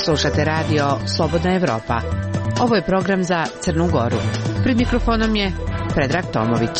Slušate radio Slobodna Evropa. Ovo je program za Crnu Goru. Pred mikrofonom je Predrag Tomović.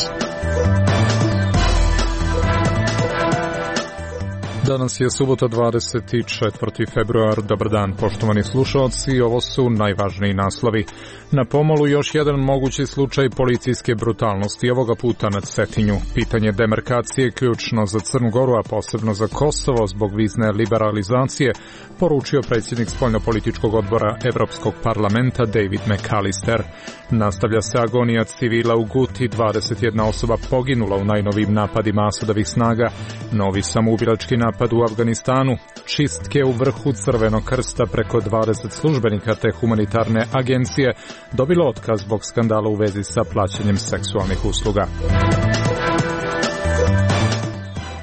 Danas je subota 24. februar. Dobar dan, poštovani slušalci. Ovo su najvažniji naslovi. Na pomolu još jedan mogući slučaj policijske brutalnosti, ovoga puta nad Cetinju. Pitanje demarkacije ključno za Crnu Goru, a posebno za Kosovo zbog vizne liberalizacije, poručio predsjednik spoljnopolitičkog odbora Evropskog parlamenta David McAllister. Nastavlja se agonija civila u Guti, 21 osoba poginula u najnovijim napadima Asadovih snaga, novi samoubilački napad u Afganistanu, čistke u vrhu Crvenog krsta, preko 20 službenika te humanitarne agencije dobilo otkaz zbog skandala u vezi sa plaćanjem seksualnih usluga.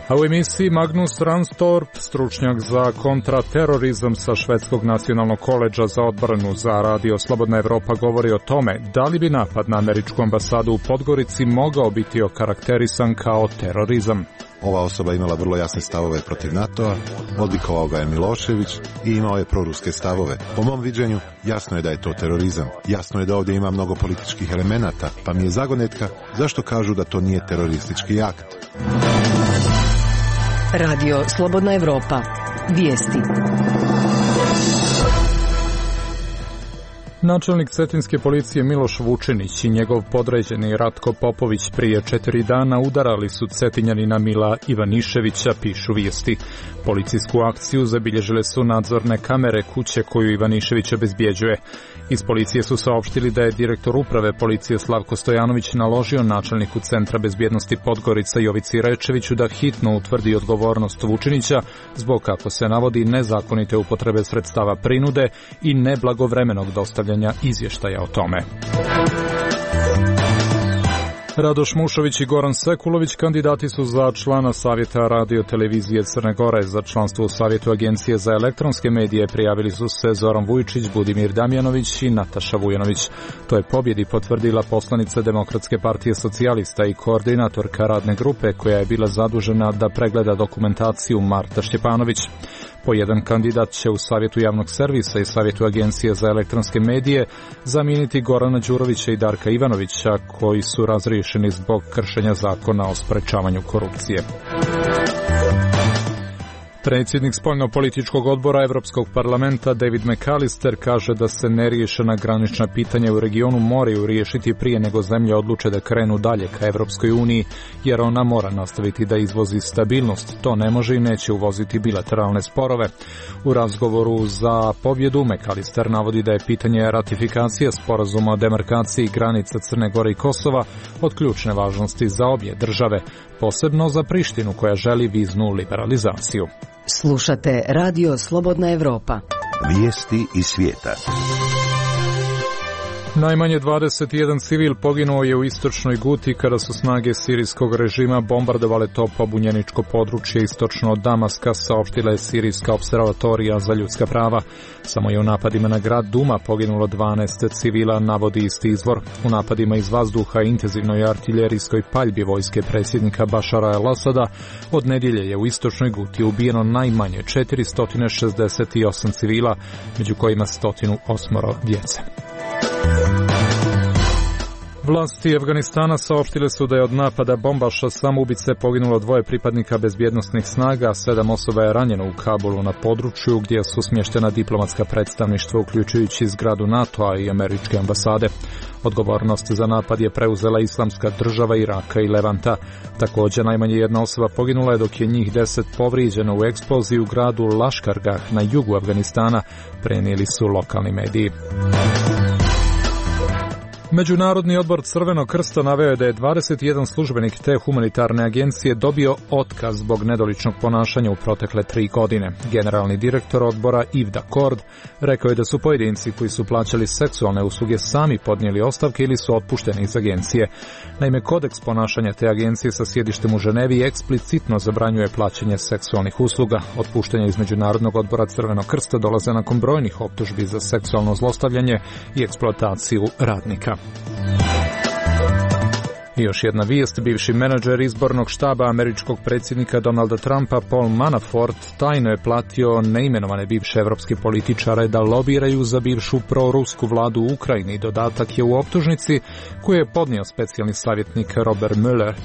A u emisiji Magnus Ranstorp, stručnjak za kontraterorizam sa Švedskog nacionalnog koledža za odbranu za radio Slobodna Evropa, govori o tome da li bi napad na američku ambasadu u Podgorici mogao biti okarakterisan kao terorizam. Ova osoba imala vrlo jasne stavove protiv NATO-a, odlikovao ga je Milošević i imao je proruske stavove. Po mom viđenju, jasno je da je to terorizam. Jasno je da ovdje ima mnogo političkih elemenata, pa mi je zagonetka zašto kažu da to nije teroristički akt. Radio Slobodna Evropa. Vijesti. Načelnik cetinske policije Miloš Vučinić i njegov podređeni Ratko Popović prije 4 dana udarali su Cetinjanina Mila Ivaniševića, pišu vijesti. Policijsku akciju zabilježile su nadzorne kamere kuće koju Ivanišević obezbjeđuje. Iz policije su saopštili da je direktor uprave policije Slavko Stojanović naložio načelniku Centra bezbjednosti Podgorica Jovici Rečeviću da hitno utvrdi odgovornost Vučinića zbog, kako se navodi, nezakonite upotrebe sredstava prinude i neblagovremenog dostavljanja izvještaja o tome. Radoš Mušović i Goran Sekulović kandidati su za člana Savjeta radio televizije Crne Gore. Za članstvo u Savjetu Agencije za elektronske medije prijavili su se Zoran Vujčić, Budimir Damjanović i Nataša Vujanović. To je pobjedi potvrdila poslanica Demokratske partije socijalista i koordinatorka radne grupe koja je bila zadužena da pregleda dokumentaciju, Marta Štjepanović. Po jedan kandidat će u Savjetu javnog servisa i Savjetu Agencije za elektronske medije zamijeniti Gorana Đurovića i Darka Ivanovića, koji su razriješeni zbog kršenja zakona o sprečavanju korupcije. Predsjednik spoljnopolitičkog odbora Evropskog parlamenta David McAllister kaže da se neriješena granična pitanja u regionu moraju riješiti prije nego zemlje odluče da krenu dalje ka Evropskoj uniji, jer ona mora nastaviti da izvozi stabilnost. To ne može i neće uvoziti bilateralne sporove. U razgovoru za pobjedu McAllister navodi da je pitanje ratifikacije sporazuma o demarkaciji granica Crne Gore i Kosova od ključne važnosti za obje države, posebno za Prištinu koja želi viznu liberalizaciju. Slušate radio Slobodna Evropa. Vijesti iz svijeta. Najmanje 21 civil poginuo je u istočnoj Guti kada su snage sirijskog režima bombardovale to pobunjeničko područje istočno od Damaska, saopštila je Sirijska opservatorija za ljudska prava. Samo je u napadima na grad Duma poginulo 12 civila, navodi isti izvor. U napadima iz vazduha i intenzivnoj artiljerijskoj paljbi vojske predsjednika Bašara el-Asada od nedjelje je u istočnoj Guti ubijeno najmanje 468 civila, među kojima 108 djece. Vlasti Afganistana saopštile su da je od napada bombaša samoubice poginulo 2 pripadnika bezbjednosnih snaga, a 7 osoba je ranjeno u Kabulu, na području gdje su smještena diplomatska predstavništva, uključujući zgradu NATO-a i američke ambasade. Odgovornost za napad je preuzela Islamska država Iraka i Levanta. Također najmanje 1 osoba poginula je, dok je njih 10 povrijeđeno u eksploziji u gradu Laškargah na jugu Afganistana, prenijeli su lokalni mediji. Međunarodni odbor Crvenog krsta naveo je da je 21 službenik te humanitarne agencije dobio otkaz zbog nedoličnog ponašanja u protekle 3 godine. Generalni direktor odbora Ivda Kord rekao je da su pojedinci koji su plaćali seksualne usluge sami podnijeli ostavke ili su otpušteni iz agencije. Naime, kodeks ponašanja te agencije sa sjedištem u Ženevi eksplicitno zabranjuje plaćanje seksualnih usluga. Otpuštanja iz Međunarodnog odbora Crvenog krsta dolaze nakon brojnih optužbi za seksualno zlostavljanje i eksploataciju radnika. I još jedna vijest, bivši menadžer izbornog štaba američkog predsjednika Donalda Trumpa Paul Manafort tajno je platio neimenovane bivše evropske političare da lobiraju za bivšu prorusku vladu u Ukrajini. Dodatak je u optužnici koju je podnio specijalni savjetnik Robert Mueller.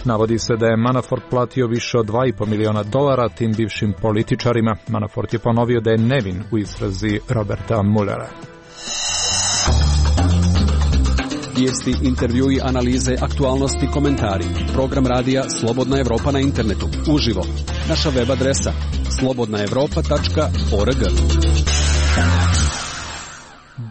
Navodi se da je Manafort platio više od $2,5 miliona tim bivšim političarima. Manafort je ponovio da je nevin u istrazi Roberta Muellera. Vijesti, intervjui, analize, aktualnosti, komentari. Program radija Slobodna Evropa na internetu. Uživo. Naša web adresa slobodnaevropa.org.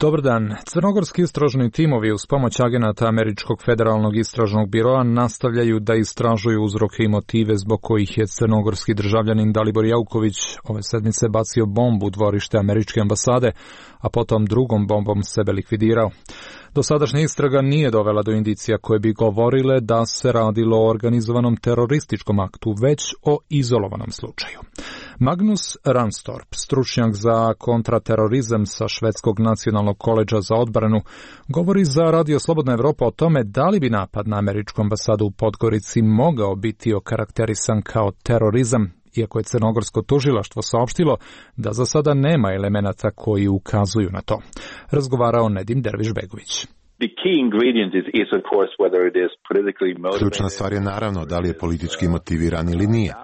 Dobar dan. Crnogorski istražni timovi uz pomoć agenata Američkog federalnog istražnog biroa nastavljaju da istražuju uzroke i motive zbog kojih je crnogorski državljanin Dalibor Jauković ove sedmice bacio bombu u dvorište američke ambasade, a potom drugom bombom sebe likvidirao. Dosadašnja istraga nije dovela do indicija koje bi govorile da se radilo o organizovanom terorističkom aktu, već o izolovanom slučaju. Magnus Ranstorp, stručnjak za kontraterorizam sa Švedskog nacionalnog koledža za odbranu, govori za Radio Slobodna Evropa o tome da li bi napad na američku ambasadu u Podgorici mogao biti okarakterisan kao terorizam, iako je crnogorsko tužilaštvo saopštilo da za sada nema elemenata koji ukazuju na to. Razgovarao Nedim Derviš-Begović. Ključna stvar je naravno da li je politički motiviran ili nije.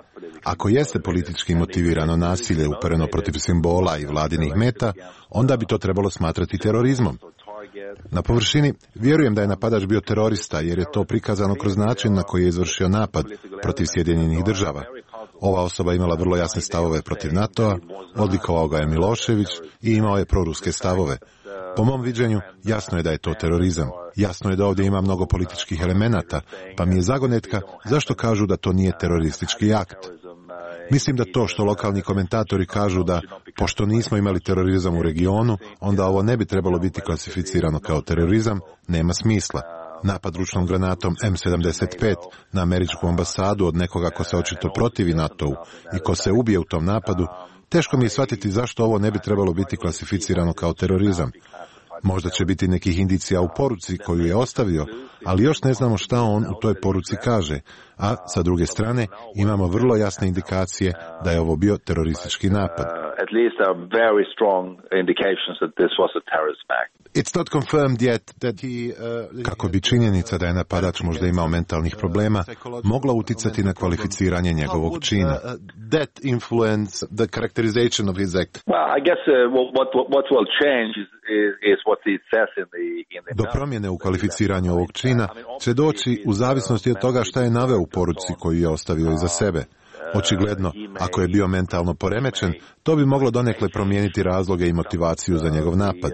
Ako jeste politički motivirano nasilje upereno protiv simbola i vladinih meta, onda bi to trebalo smatrati terorizmom. Na površini vjerujem da je napadač bio terorista jer je to prikazano kroz način na koji je izvršio napad protiv Sjedinjenih država. Ova osoba imala vrlo jasne stavove protiv NATO-a, odlikovao ga je Milošević i imao je proruske stavove. Po mom viđenju, jasno je da je to terorizam. Jasno je da ovdje ima mnogo političkih elemenata, pa mi je zagonetka zašto kažu da to nije teroristički akt. Mislim da to što lokalni komentatori kažu da, pošto nismo imali terorizam u regionu, onda ovo ne bi trebalo biti klasificirano kao terorizam, nema smisla. Napad ručnom granatom M75 na američku ambasadu od nekoga ko se očito protivi NATO-u i ko se ubije u tom napadu, teško mi je shvatiti zašto ovo ne bi trebalo biti klasificirano kao terorizam. Možda će biti nekih indicija u poruci koju je ostavio, ali još ne znamo šta on u toj poruci kaže, a sa druge strane imamo vrlo jasne indikacije da je ovo bio teroristički napad. Kako bi činjenica da je napadač možda imao mentalnih problema mogla uticati na kvalificiranje njegovog čina. Do promjene u kvalificiranju ovog čina će doći u zavisnosti od toga šta je naveo u poruci koju je ostavio iza sebe. Očigledno, ako je bio mentalno poremećen, to bi moglo donekle promijeniti razloge i motivaciju za njegov napad.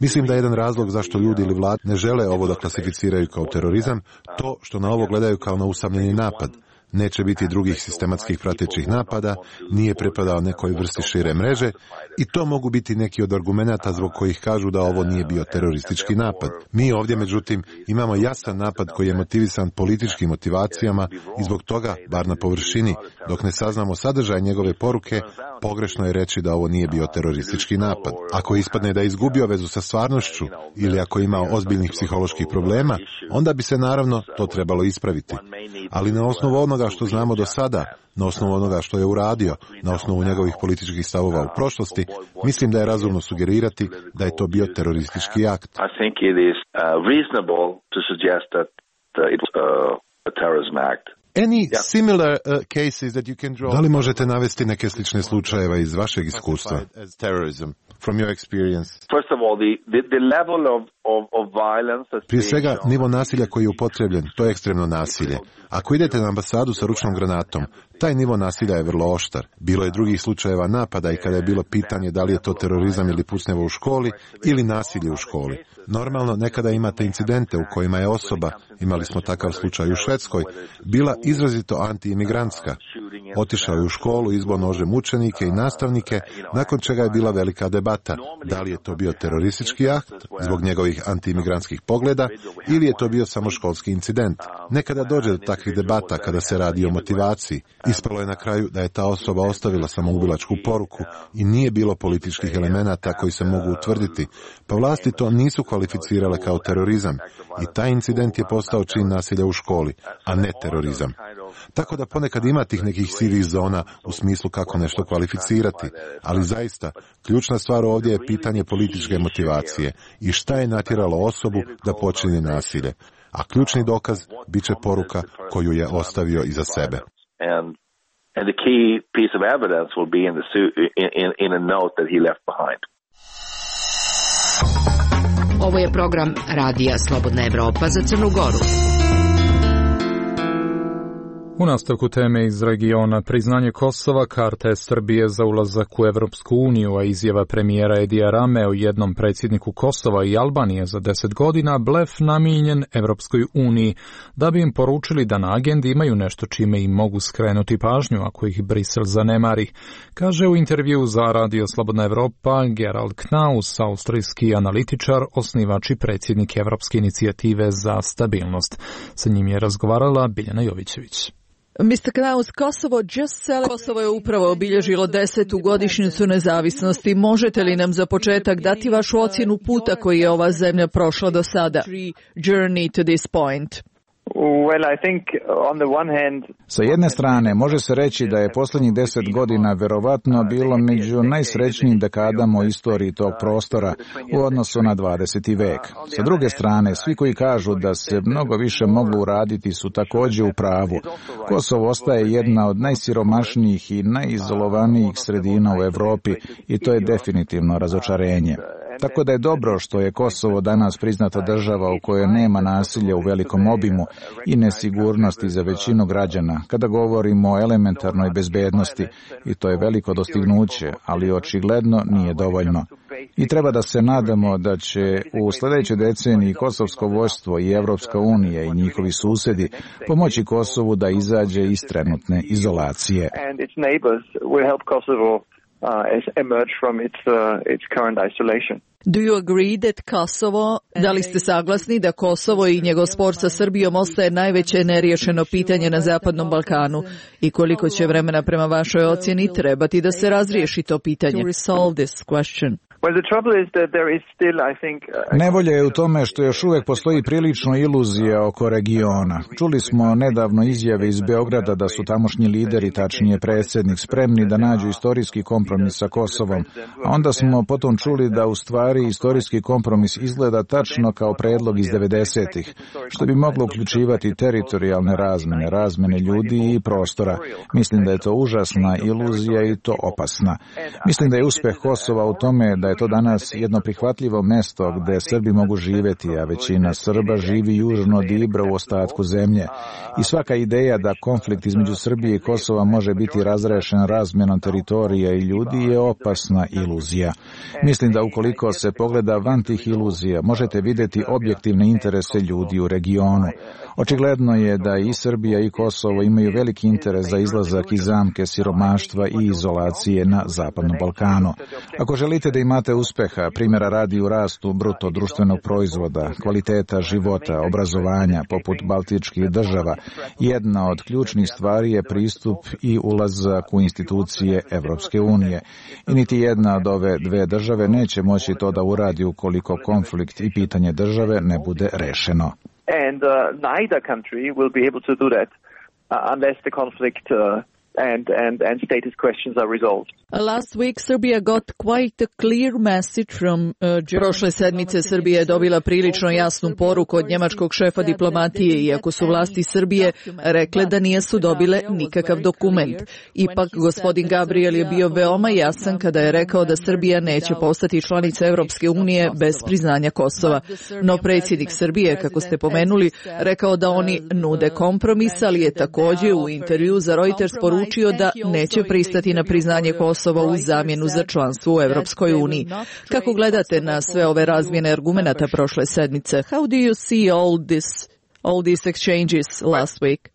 Mislim da je jedan razlog zašto ljudi ili vlade ne žele ovo da klasificiraju kao terorizam, to što na ovo gledaju kao na usamljeni napad. Neće biti drugih sistematskih pratećih napada, nije pripadao nekoj vrsti šire mreže i to mogu biti neki od argumenata zbog kojih kažu da ovo nije bio teroristički napad. Mi ovdje, međutim, imamo jasan napad koji je motivisan političkim motivacijama i zbog toga, bar na površini, dok ne saznamo sadržaj njegove poruke, pogrešno je reći da ovo nije bio teroristički napad. Ako ispadne da je izgubio vezu sa stvarnošću ili ako je imao ozbiljnih psiholoških problema, onda bi se naravno to trebalo ispraviti. Ali na osnovu onoga što znamo do sada, na osnovu onoga što je uradio, na osnovu njegovih političkih stavova u prošlosti, mislim da je razumno sugerirati da je to bio teroristički akt. Da li možete navesti neke slične slučajeve iz vašeg iskustva? Prije svega, nivo nasilja koji je upotrebljen, to je ekstremno nasilje. Ako idete na ambasadu sa ručnom granatom, taj nivo nasilja je vrlo oštar. Bilo je drugih slučajeva napada i kada je bilo pitanje da li je to terorizam ili pucnjevo u školi ili nasilje u školi. Normalno, nekada imate incidente u kojima je osoba, imali smo takav slučaj u Švedskoj, bila izrazito anti-imigrantska. Otišao je u školu, izbo nožem učenike i nastavnike, nakon čega je bila velika debata. Da li je to bio teroristički akt zbog njegovih anti-imigrantskih pogleda ili je to bio samo školski incident. Nekada dođe do takvih debata kada se radi o motivaciji. Ispalo je na kraju da je ta osoba ostavila samoubilačku poruku i nije bilo političkih elemenata koji se mogu utvrditi, pa vlasti to nisu kvalificirale kao terorizam i taj incident je postao čin nasilja u školi, a ne terorizam. Tako da ponekad ima tih nekih sivih zona u smislu kako nešto kvalificirati, ali zaista ključna stvar ovdje je pitanje političke motivacije i šta je natjeralo osobu da počini nasilje. A ključni dokaz bit će poruka koju je ostavio iza sebe. And the key piece of evidence will be in a note that he left behind. Ovo je program Radija Slobodna Evropa za Crnu Goru. U nastavku teme iz regiona, priznanje Kosova, karte Srbije za ulazak u Evropsku uniju, a izjava premijera Edija Rame o jednom predsjedniku Kosova i Albanije za 10 godina, blef namijenjen Evropskoj uniji, da bi im poručili da na agendi imaju nešto čime im mogu skrenuti pažnju ako ih Brisel zanemari, kaže u intervju za Radio Slobodna Evropa Gerald Knaus, austrijski analitičar, osnivač i predsjednik Evropske inicijative za stabilnost. Sa njim je razgovarala Biljana Jovićević. Mr. Knaus, Kosovo je upravo obilježilo 10. godišnjicu nezavisnosti. Možete li nam za početak dati vašu ocjenu puta koji je ova zemlja prošla do sada? Journey to this point. Sa jedne strane, može se reći da je posljednjih 10 godina verovatno bilo među najsrećnijim dekadama u istoriji tog prostora u odnosu na 20. vek. Sa druge strane, svi koji kažu da se mnogo više moglo uraditi su također u pravu. Kosovo ostaje jedna od najsiromašnijih i najizolovanijih sredina u Europi i to je definitivno razočarenje. Tako da je dobro što je Kosovo danas priznata država u kojoj nema nasilja u velikom obimu i nesigurnosti za većinu građana kada govorimo o elementarnoj bezbednosti i to je veliko dostignuće, ali očigledno nije dovoljno. I treba da se nadamo da će u sljedećoj deceniji kosovsko vojstvo i Evropska unija i njihovi susjedi pomoći Kosovu da izađe iz trenutne izolacije. Emerge from its current isolation. Do you agree that Kosovo, da li ste saglasni da Kosovo i njegov spor sa Srbijom ostaje najveće neriješeno pitanje na Zapadnom Balkanu i koliko će vremena prema vašoj ocjeni trebati da se razriješi to pitanje? To resolve this question. Nevolja je u tome što još uvijek postoji prilično iluzija oko regiona. Čuli smo nedavno izjave iz Beograda da su tamošnji lideri, tačnije predsjednik, spremni da nađu istorijski kompromis sa Kosovom, a onda smo potom čuli da u stvari istorijski kompromis izgleda tačno kao predlog iz 90-ih, što bi moglo uključivati teritorijalne razmene ljudi i prostora. Mislim da je to užasna iluzija i to opasna. Mislim da je uspjeh Kosova u tome da je to danas jedno prihvatljivo mesto gdje Srbi mogu živjeti, a većina Srba živi južno od Ibra u ostatku zemlje. I svaka ideja da konflikt između Srbije i Kosova može biti razrešen razmjenom teritorija i ljudi je opasna iluzija. Mislim da ukoliko se pogleda van tih iluzija, možete vidjeti objektivne interese ljudi u regionu. Očigledno je da i Srbija i Kosovo imaju veliki interes za izlazak iz zamke siromaštva i izolacije na Zapadnom Balkanu. Ako želite da imate uspeha, primjera radi u rastu bruto društvenog proizvoda, kvaliteta života, obrazovanja, poput baltičkih država, jedna od ključnih stvari je pristup i ulazak u institucije Evropske unije. I niti jedna od ove dve države neće moći to da uradi ukoliko konflikt i pitanje države ne bude rešeno. And neither country will be able to do that unless the conflict and status questions are resolved. Last week Serbia got quite a clear message from Prošle sedmice Srbija je dobila prilično jasnu poruku od njemačkog šefa diplomatije, iako su vlasti Srbije rekle da nisu dobile nikakav dokument. Ipak gospodin Gabriel je bio veoma jasan kada je rekao da Srbija neće postati članica Evropske unije bez priznanja Kosova. No predsjednik Srbije, kako ste pomenuli, rekao da oni nude kompromis, ali je također u intervju za Reuters poručio da neće pristati na priznanje Kosova u zamjenu za članstvo u Evropskoj uniji. Kako gledate na sve ove razmjene argumenata prošle sedmice? How do you see all these exchanges last week?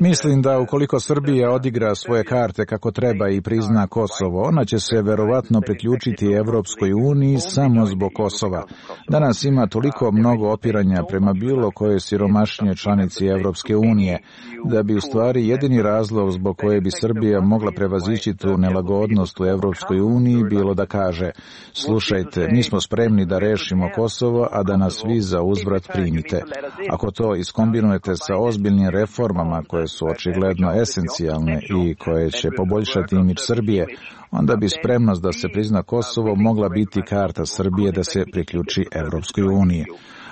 Mislim da ukoliko Srbija odigra svoje karte kako treba i prizna Kosovo, ona će se verovatno priključiti Evropskoj uniji samo zbog Kosova. Danas ima toliko mnogo opiranja prema bilo kojoj siromašnije članici Evropske unije, da bi u stvari jedini razlog zbog koje bi Srbija mogla prevazići tu nelagodnost u Evropskoj uniji bilo da kaže: slušajte, mi smo spremni da rešimo Kosovo, a da nas vi za uzvrat primite. Ako to iskombinujete sa ozbiljnim reformama koje su očigledno esencijalne i koje će poboljšati imidž Srbije, onda bi spremnost da se prizna Kosovo mogla biti karta Srbije da se priključi Evropskoj uniji.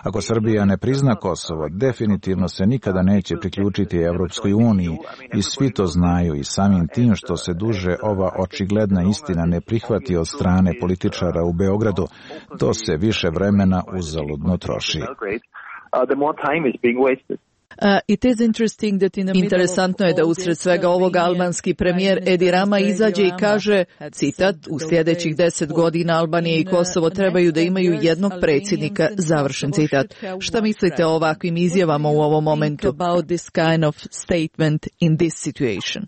Ako Srbija ne prizna Kosovo, definitivno se nikada neće priključiti Evropskoj uniji i svi to znaju i samim tim što se duže ova očigledna istina ne prihvati od strane političara u Beogradu, to se više vremena uzaludno troši. Interesantno je da usred svega ovoga albanski premijer Edi Rama izađe i kaže, citat, u sljedećih 10 godina Albanija i Kosovo trebaju da imaju jednog predsjednika, završen citat. Šta mislite o ovakvim izjavama u ovom momentu? About this kind of statement in this situation?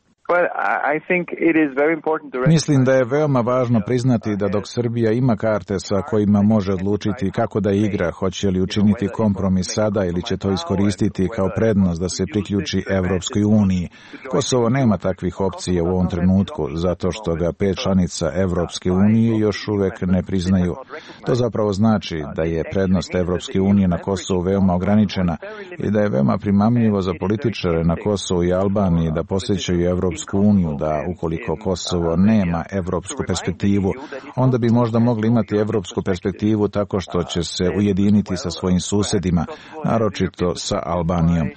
Mislim da je veoma važno priznati da dok Srbija ima karte sa kojima može odlučiti kako da igra, hoće li učiniti kompromis sada ili će to iskoristiti kao prednost da se priključi Evropskoj uniji. Kosovo nema takvih opcija u ovom trenutku, zato što ga 5 članica Evropske unije još uvek ne priznaju. To zapravo znači da je prednost Evropske unije na Kosovu veoma ograničena i da je veoma primamljivo za političare na Kosovu i Albaniji da posjećaju Evropsku uniju, da ukoliko Kosovo nema evropsku perspektivu, onda bi možda mogli imati evropsku perspektivu tako što će se ujediniti sa svojim susedima, naročito sa Albanijom.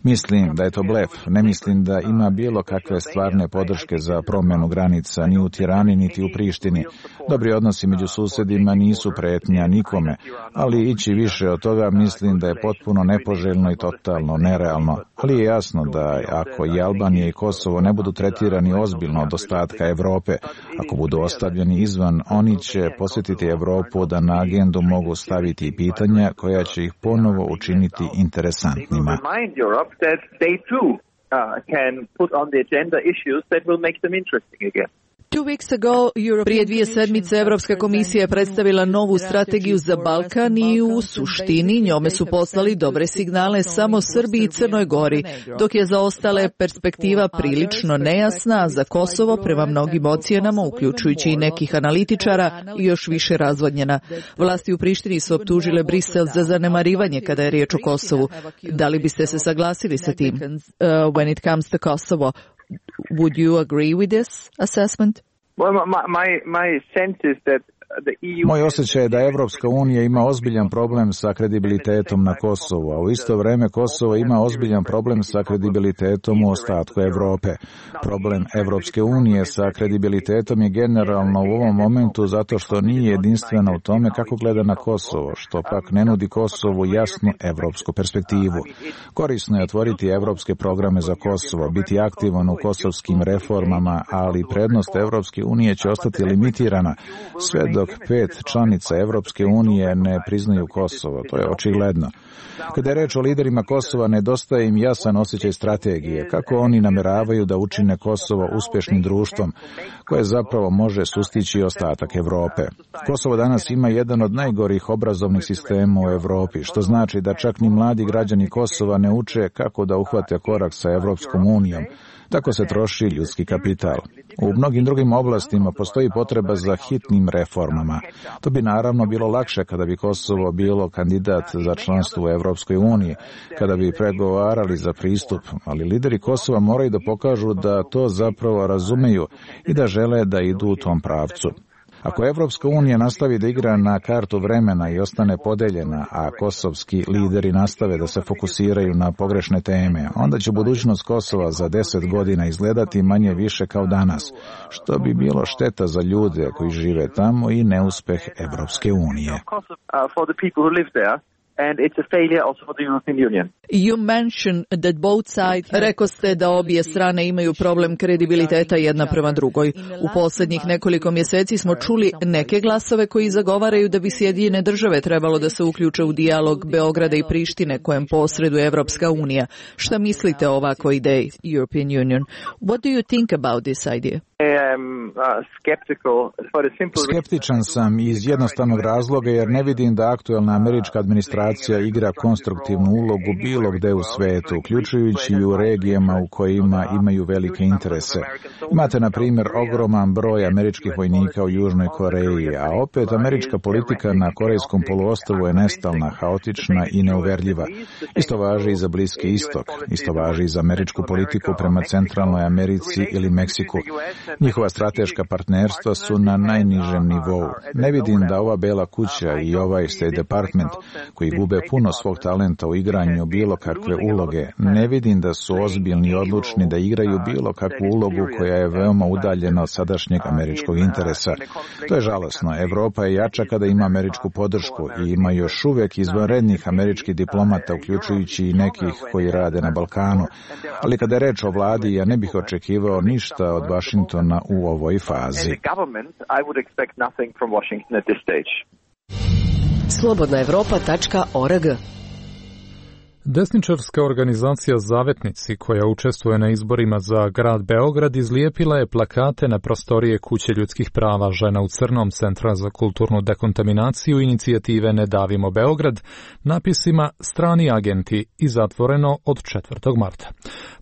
Mislim da je to blef. Ne mislim da ima bilo kakve stvarne podrške za promjenu granica ni u Tirani niti u Prištini. Dobri odnosi među susedima nisu pretnja nikome, ali ići više od toga mislim da je potpuno nepoželjno i totalno nerealno. Ali je jasno da ako i Albanija i Kosovo ne budu tretirani ozbiljno od ostatka Evrope, ako budu ostavljeni izvan, oni će posjetiti Evropu da na agendu mogu staviti pitanja koja će ih ponovo učiniti interesantnima. That they too can put on the agenda issues that will make them interesting again. Prije 2 sedmice Evropska komisija je predstavila novu strategiju za Balkan i u suštini njome su poslali dobre signale samo Srbiji i Crnoj Gori, dok je za ostale perspektiva prilično nejasna, za Kosovo prema mnogim ocjenama, uključujući i nekih analitičara, i još više razvodnjena. Vlasti u Prištini su optužile Brisel za zanemarivanje kada je riječ o Kosovu. Da li biste se saglasili sa tim? When it comes to Kosovo, would you agree with this assessment? Well, my sense is that Moj osjećaj je da Evropska unija ima ozbiljan problem sa kredibilitetom na Kosovu, a u isto vrijeme Kosovo ima ozbiljan problem sa kredibilitetom u ostatku Evrope. Problem Evropske unije sa kredibilitetom je generalno u ovom momentu zato što nije jedinstvena u tome kako gleda na Kosovo, što pak ne nudi Kosovu jasnu evropsku perspektivu. Korisno je otvoriti evropske programe za Kosovo, biti aktivan u kosovskim reformama, ali prednost Evropske unije će ostati limitirana sve dok 5 članica Evropske unije ne priznaju Kosovo. To je očigledno. Kada je reč o liderima Kosova, nedostaje im jasan osjećaj strategije, kako oni nameravaju da učine Kosovo uspješnim društvom, koje zapravo može sustići ostatak Evrope. Kosovo danas ima jedan od najgorih obrazovnih sistema u Evropi, što znači da čak ni mladi građani Kosova ne uče kako da uhvate korak sa Evropskom unijom. Tako se troši ljudski kapital. U mnogim drugim oblastima postoji potreba za hitnim reformama. To bi naravno bilo lakše kada bi Kosovo bilo kandidat za članstvo u Evropskoj uniji, kada bi pregovarali za pristup, ali lideri Kosova moraju da pokažu da to zapravo razumeju i da žele da idu u tom pravcu. Ako Evropska unija nastavi da igra na kartu vremena i ostane podeljena, a kosovski lideri nastave da se fokusiraju na pogrešne teme, onda će budućnost Kosova za 10 godina izgledati manje više kao danas, što bi bilo šteta za ljude koji žive tamo i neuspeh Evropske unije. and it's a failure also for the European Union. You mentioned that both sides... Rekao ste da obje strane imaju problem kredibiliteta jedna prema drugoj. U posljednjih nekoliko mjeseci smo čuli neke glasove koji zagovaraju da bi Sjedinjene države trebalo da se uključe u dijalog Beograda i Prištine kojem posreduje Evropska unija. Šta mislite o ovakvoj ideji, European Union? What do you think about this idea? Skeptičan sam iz jednostavnog razloga jer ne vidim da aktuelna američka administracija igra konstruktivnu ulogu bilo gde u svetu, uključujući i u regijama u kojima imaju velike interese. Imate, na primjer, ogroman broj američkih vojnika u Južnoj Koreji, a opet američka politika na Korejskom poluostrvu je nestalna, haotična i neuverljiva. Isto važi i za Bliski istok, isto važi i za američku politiku prema Centralnoj Americi ili Meksiku. Njihova strateška partnerstva su na najnižem nivou. Ne vidim da ova Bela kuća i ovaj State Department, koji gube puno svog talenta u igranju bilo kakve uloge, ne vidim da su ozbiljni i odlučni da igraju bilo kakvu ulogu koja je veoma udaljena od sadašnjeg američkog interesa. To je žalosno. Evropa je jača kada ima američku podršku i ima još uvek izvanrednih američkih diplomata, uključujući i nekih koji rade na Balkanu. Ali kada je reč o vladi, ja ne bih očekivao ništa od Vašingtona u ovoj fazi. Slobodnaevropa.org. Desničarska organizacija Zavetnici, koja učestvuje na izborima za grad Beograd, izlijepila je plakate na prostorije Kuće ljudskih prava žena u crnom Centra za kulturnu dekontaminaciju inicijative Ne davimo Beograd, napisima Strani agenti i zatvoreno od 4. marta.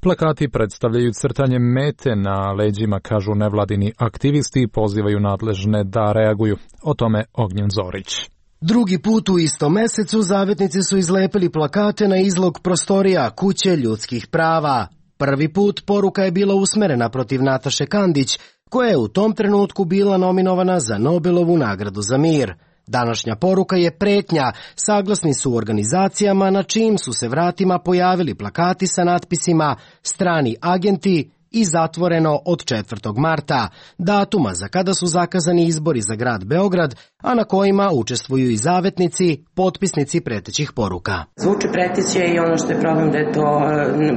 Plakati predstavljaju crtanje mete na leđima, kažu nevladini aktivisti i pozivaju nadležne da reaguju. O tome Ognjen Zorić. Drugi put u istom mesecu Zavetnici su izlepili plakate na izlog prostorija Kuće ljudskih prava. Prvi put poruka je bila usmerena protiv Nataše Kandić, koja je u tom trenutku bila nominovana za Nobelovu nagradu za mir. Današnja poruka je pretnja, saglasni su u organizacijama na čijim su se vratima pojavili plakati sa natpisima Strani agenti i zatvoreno od 4. marta, datuma za kada su zakazani izbori za grad Beograd, a na kojima učestvuju i zavetnici, potpisnici pretećih poruka. Zvuči preteće i ono što je problem da je to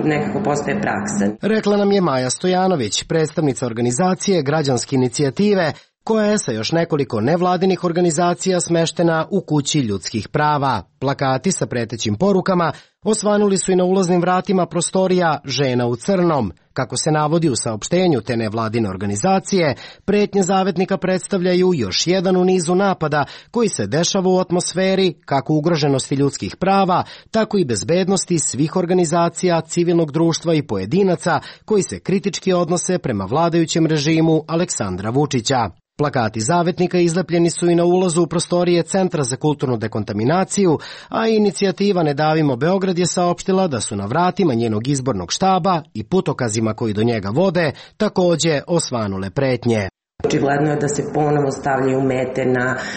nekako postaje praksa. Rekla nam je Maja Stojanović, predstavnica organizacije Građanske inicijative, koja je sa još nekoliko nevladinih organizacija smeštena u Kući ljudskih prava. Plakati sa pretećim porukama osvanuli su i na ulaznim vratima prostorija Žena u crnom. Kako se navodi u saopštenju te nevladine organizacije, pretnje zavetnika predstavljaju još jedan u nizu napada koji se dešava u atmosferi kako ugroženosti ljudskih prava, tako i bezbednosti svih organizacija, civilnog društva i pojedinaca koji se kritički odnose prema vladajućem režimu Aleksandra Vučića. Plakati zavetnika izlepljeni su i na ulazu u prostorije Centra za kulturnu dekontaminaciju, a inicijativa Ne davimo Beograd je saopštila da su na vratima njenog izbornog štaba i putokazima koji do njega vode takođe osvanule pretnje. Očigledno je da se ponovo stavljaju mete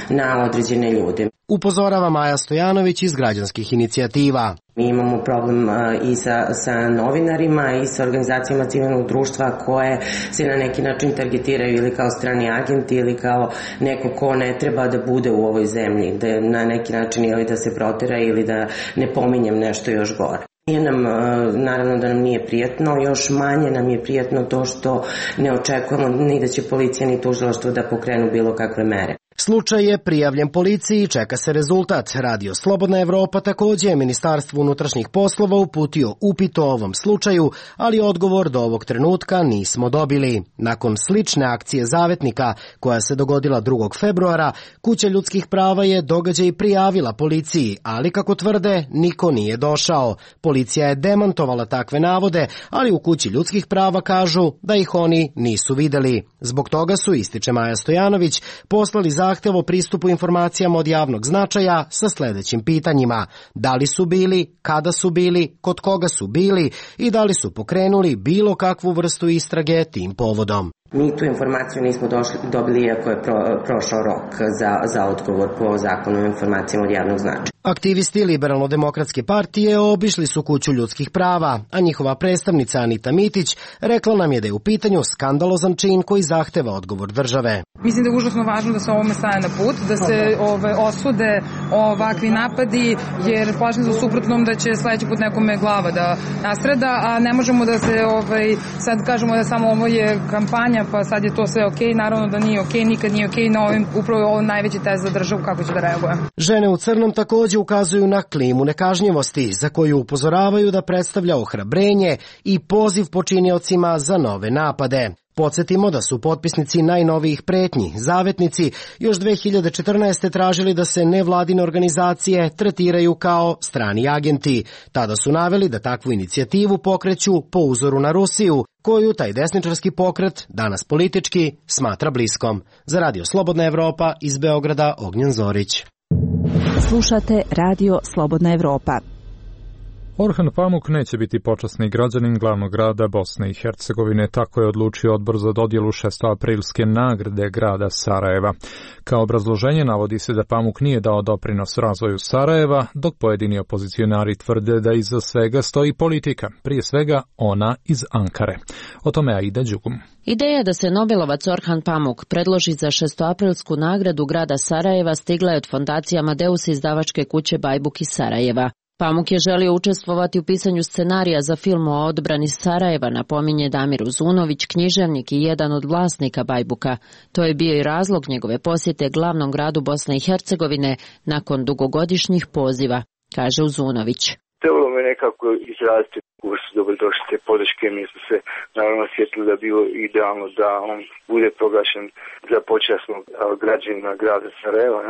na određene ljude. Upozorava Maja Stojanović iz Građanskih inicijativa. Mi imamo problem i sa novinarima i sa organizacijama civilnog društva koje se na neki način targetiraju ili kao strani agenti ili kao neko ko ne treba da bude u ovoj zemlji, da na neki način ili da se protera ili da ne pominjem nešto još gore. Naravno da nam nije prijatno, još manje nam je prijatno to što ne očekujemo ni da će policija ni tužilaštvo da pokrenu bilo kakve mere. Slučaj je prijavljen policiji i čeka se rezultat. Radio Slobodna Evropa takođe je Ministarstvu unutrašnjih poslova uputio upit o ovom slučaju, ali odgovor do ovog trenutka nismo dobili. Nakon slične akcije zavetnika, koja se dogodila 2. februara, Kuća ljudskih prava je događaj prijavila policiji, ali kako tvrde, niko nije došao. Policija je demantovala takve navode, ali u Kući ljudskih prava kažu da ih oni nisu videli. Zbog toga su, ističe Maja Stojanović, poslali zahtev o pristupu informacijama od javnog značaja sa sledećim pitanjima: da li su bili, kada su bili, kod koga su bili i da li su pokrenuli bilo kakvu vrstu istrage tim povodom. Mi tu informaciju nismo dobili iako je prošao rok za odgovor po zakonu o informacijama od javnog značaja. Aktivisti Liberalno-demokratske partije obišli su kuću ljudskih prava, a njihova predstavnica Anita Mitić rekla nam je da je u pitanju skandalozan čin koji zahteva odgovor države. Mislim da je užasno važno da se ovome stane na put, da se osude ovakvi napadi, jer plašim se u suprotnom da će sledeći put nekome glava da nastrada, a ne možemo da se sad kažemo da samo ovo je kampanja, pa sad je to sve okej. Naravno da nije okej, nikad nije okej, no upravo je ovo najveći test za državu kako će da reaguje. Žene u crnom takođe ukazuju na klimu nekažnjivosti, za koju upozoravaju da predstavlja ohrabrenje i poziv počiniocima za nove napade. Podsjetimo da su potpisnici najnovijih pretnji, zavetnici, još 2014. tražili da se nevladine organizacije tretiraju kao strani agenti. Tada su naveli da takvu inicijativu pokreću po uzoru na Rusiju, koju taj desničarski pokret, danas politički, smatra bliskom. Za Radio Slobodna Evropa, iz Beograda, Ognjen Zorić. Slušate Radio Slobodna Evropa. Orhan Pamuk neće biti počasni građanin glavnog grada Bosne i Hercegovine, tako je odlučio odbor za dodjelu 6. nagrade grada Sarajeva. Kao obrazloženje navodi se da Pamuk nije dao doprinos razvoju Sarajeva, dok pojedini opozicionari tvrde da iza svega stoji politika, prije svega ona iz Ankare. O tome Aida Đugum. Ideja da se Nobelovac Orhan Pamuk predloži za 6. nagradu grada Sarajeva stigla je od fondacije Amadeus izdavačke kuće Bajbuk iz Sarajeva. Pamuk je želio učestvovati u pisanju scenarija za film o odbrani Sarajeva, napominje Damir Uzunović, književnik i jedan od vlasnika Bajbuka. To je bio i razlog njegove posjete glavnom gradu Bosne i Hercegovine nakon dugogodišnjih poziva, kaže Uzunović. Trebalo me nekako izraziti kako su dobrodošli te podrške, mi smo se naravno sjetili da bilo idealno da on bude proglašen za počasnog građanina grada Sarajeva.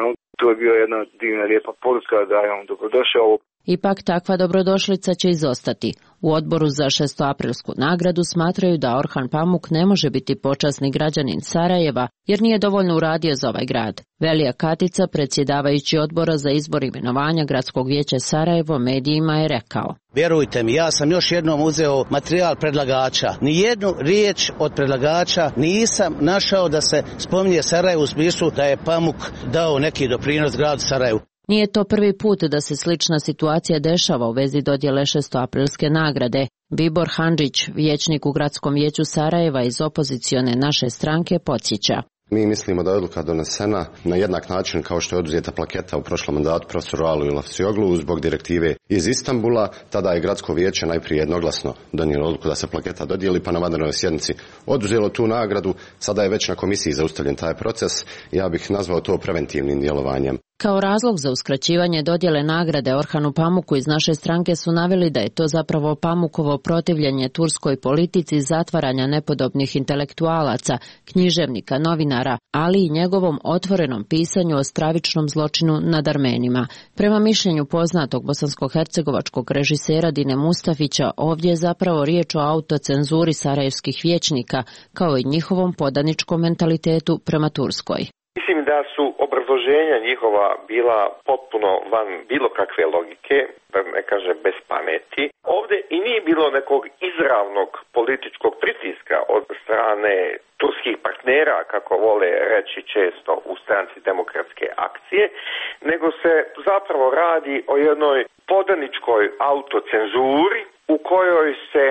To je bio jedna divna lijepa poruka da je on dobrodošao. Ipak takva dobrodošlica će izostati. U odboru za 6. nagradu smatraju da Orhan Pamuk ne može biti počasni građanin Sarajeva jer nije dovoljno uradio za ovaj grad. Velija Katica, predsjedavajući odbora za izbor imenovanja Gradskog vijeća Sarajevo, medijima je rekao: Vjerujte mi, ja sam još jednom uzeo materijal predlagača. Nijednu riječ od predlagača nisam našao da se spominje Sarajevo u smislu da je Pamuk dao neki doprinos gradu Sarajevu. Nije to prvi put da se slična situacija dešava u vezi dodjele 6. nagrade. Bibor Handžić, vijećnik u Gradskom vijeću Sarajeva iz opozicione Naše stranke, podsjeća. Mi mislimo da je odluka donesena na jednak način kao što je oduzeta plaketa u prošlom mandatu profesoru Alu Ilavcioglu zbog direktive iz Istanbula. Tada je Gradsko vijeće najprije jednoglasno donijelo odluku da se plaketa dodijeli, pa na vanrednoj sjednici oduzelo tu nagradu. Sada je već na komisiji zaustavljen taj proces. Ja bih nazvao to preventivnim djelovanjem. Kao razlog za uskraćivanje dodjele nagrade Orhanu Pamuku iz Naše stranke su naveli da je to zapravo Pamukovo protivljenje turskoj politici zatvaranja nepodobnih intelektualaca, književnika, novinara, ali i njegovom otvorenom pisanju o stravičnom zločinu nad Armenima. Prema mišljenju poznatog bosansko-hercegovačkog režisera Dine Mustafića, ovdje je zapravo riječ o autocenzuri sarajevskih vijećnika, kao i njihovom podaničkom mentalitetu prema Turskoj. Mislim da su obrazloženja njihova bila potpuno van bilo kakve logike, da ne kaže bez pameti. Ovdje i nije bilo nekog izravnog političkog pritiska od strane turskih partnera, kako vole reći često u stranci Demokratske akcije, nego se zapravo radi o jednoj podaničkoj autocenzuri u kojoj se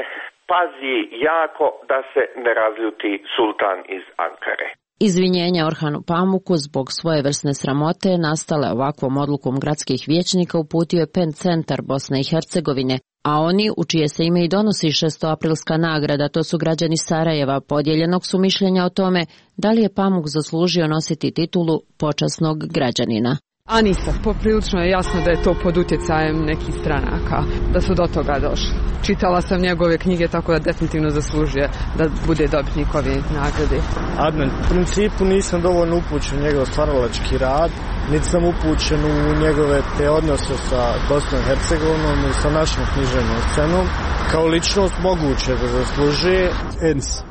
pazi jako da se ne razljuti sultan iz Ankare. Izvinjenja Orhanu Pamuku zbog svojevrsne sramote nastale ovakvom odlukom gradskih vijećnika uputio je PEN centar Bosne i Hercegovine, a oni, u čije se ime i donosi 6. nagrada, to su građani Sarajeva, podijeljenog su mišljenja o tome da li je Pamuk zaslužio nositi titulu počasnog građanina. Anisa, poprilično je jasno da je to pod utjecajem nekih stranaka, da su do toga došli. Čitala sam njegove knjige, tako da definitivno zaslužuje da bude dobitnik ove nagrade. Adnan, u principu nisam dovoljno upućen u njegov stvaralački rad, niti sam upućen u njegove te odnose sa Bosnom i Hercegovinom i sa našom književnom scenom. Kao ličnost moguće da zaslužuje.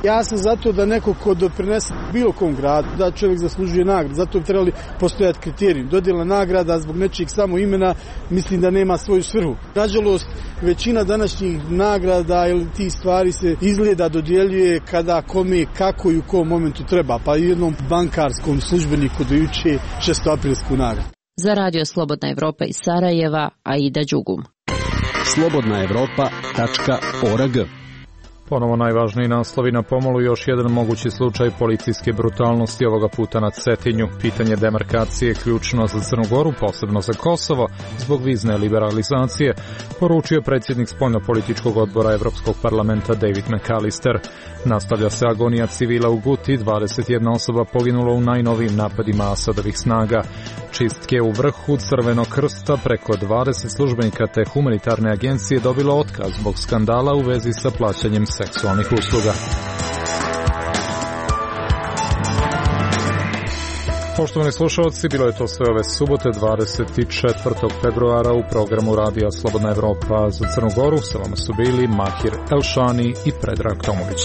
Ja sam zato da neko ko doprinese bilo kom gradu, da čovjek zaslužuje nagradu, zato bi trebali postojati kriterijum. Dodjela nagrada zbog nečijeg samo imena mislim da nema svoju svrhu. Nažalost, većina današnjih nagrada ili tih stvari se izgleda dodjeljuje kada kome, kako i u kom momentu treba, pa jednom bankarskom službeniku do juče 6-aprilsku nagradu. Za Radio Slobodna Evropa iz Sarajeva, Aida Đugum. slobodnaevropa.org. Ponovo najvažniji naslovi na pomolu, još jedan mogući slučaj policijske brutalnosti, ovoga puta na Cetinju. Pitanje demarkacije ključno za Crnu Goru, posebno za Kosovo, zbog vizne liberalizacije, poručio predsjednik spoljnopolitičkog odbora Evropskog parlamenta David McAllister. Nastavlja se agonija civila u Guti, 21 osoba poginulo u najnovijim napadima Asadovih snaga. Čistke u vrhu Crvenog krsta, preko 20 službenika te humanitarne agencije dobilo otkaz zbog skandala u vezi sa plaćanjem seksualnih usluga. Poštovani slušalci, bilo je to sve ove subote 24. februara u programu Radija Slobodna Evropa za Crnu Goru. Sa vama su bili Mahir Elšani i Predrag Tomović.